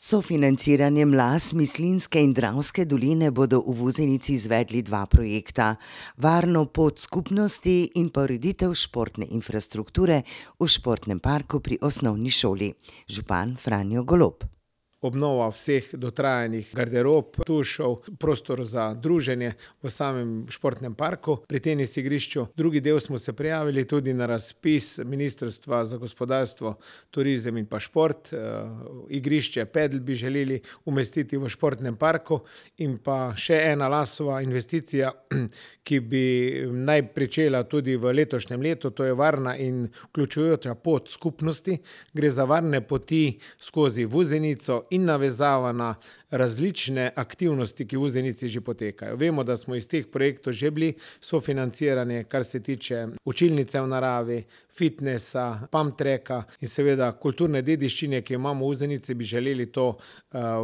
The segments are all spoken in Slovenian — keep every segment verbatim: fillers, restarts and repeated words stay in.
Sofinanciranjem las Mislinjske in Dravske doline bodo v Vuzenici izvedli dva projekta: varno pot skupnosti in pa ureditev športne infrastrukture v športnem parku pri osnovni šoli. Župan Franjo Golob. Obnova vseh dotrajanih garderob, tušev, prostor za druženje v samem športnem parku pri tenis igrišču. Drugi del smo se prijavili tudi na razpis Ministrstva za gospodarstvo, turizem in pa šport. Igrišče Pedel bi želeli umestiti v športnem parku in pa še ena Lasova investicija, ki bi naj pričela tudi v letošnjem letu, to je varna in vključujoča pot skupnosti. Gre za varne poti skozi Vuzenico in navezava na različne aktivnosti, ki v Vuzenici že potekajo. Vemo, da smo iz teh projektov že bili sofinancirani, kar se tiče učilnice v naravi, fitnesa, pump tracka in seveda kulturne dediščine, ki jo imamo v Vuzenici, bi želeli to uh,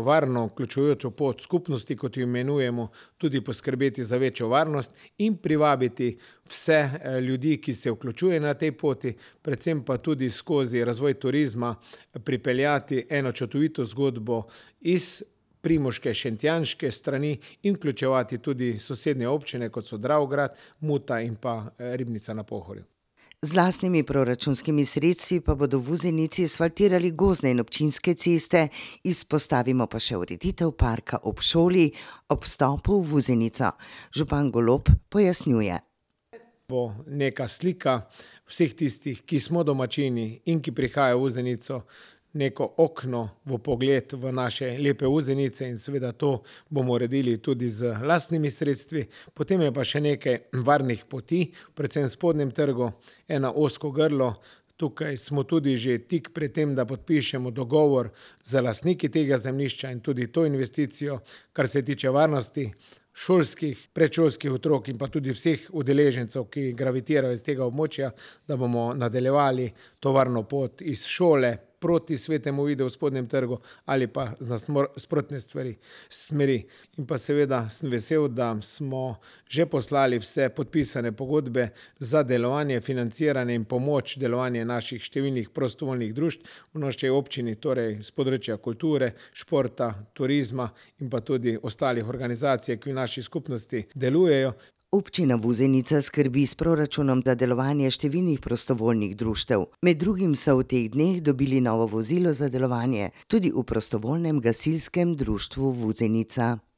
varno, vključujočo pot skupnosti, kot jo imenujemo, tudi poskrbeti za večjo varnost in privabiti vse uh, ljudi, ki se vključujejo na tej poti, predvsem pa tudi skozi razvoj turizma pripeljati eno čudovito zgodbo iz Primoške, Šentjanške strani in vključevati tudi sosednje občine, kot so Dravograd, Muta in pa Ribnica na Pohorju. Z lastnimi proračunskimi sredstvi pa bodo v Vuzenici asfaltirali gozdne in občinske ceste, izpostavimo pa še ureditev parka ob šoli ob vstopu v Vuzenico. Župan Golob pojasnjuje. Bo neka slika vseh tistih, ki smo domačini in ki prihajajo v Vuzenico, neko okno v pogled v naše lepe Vuzenice in seveda to bomo uredili tudi z lastnimi sredstvi. Potem je pa še nekaj varnih poti, predvsem v spodnjem trgu, ena ozko grlo. Tukaj smo tudi že tik pred tem, da podpišemo dogovor z lastniki tega zemljišča in tudi to investicijo, kar se tiče varnosti šolskih, predšolskih otrok in pa tudi vseh udeležencev, ki gravitirajo iz tega območja, da bomo nadaljevali to varno pot iz šole proti Svetemu Vidu v spodnjem trgu ali pa z nasprotne stvari, smeri. In pa seveda sem vesel, da smo že poslali vse podpisane pogodbe za delovanje, financiranje in pomoč delovanje naših številnih prostovoljnih društev v naši občini, torej z področja kulture, športa, turizma in pa tudi ostalih organizacij, ki v naši skupnosti delujejo. Občina Vuzenica skrbi s proračunom za delovanje številnih prostovoljnih društev. Med drugim so v teh dneh dobili novo vozilo za delovanje tudi v prostovoljnem gasilskem društvu Vuzenica.